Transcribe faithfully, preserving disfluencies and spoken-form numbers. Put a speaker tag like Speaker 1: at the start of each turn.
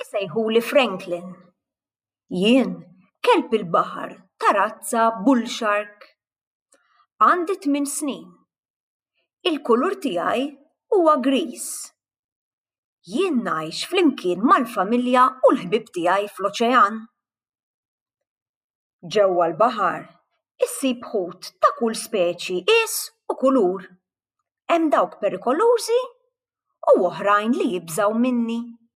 Speaker 1: Isejħuli Franklin. Jien kelb il-baħar ta' razza bull shark. Għandi tmien snin. Il-kulur tiegħi huwa griż. Jien ngħix flimkien mal-familja u l-ħbieb tiegħi fl-oċean. Ġewwa l-baħar issib ħut ta' kull speċi, qies u kulur. Hemm dawk perikolużi u oħrajn li jibżgħu minni.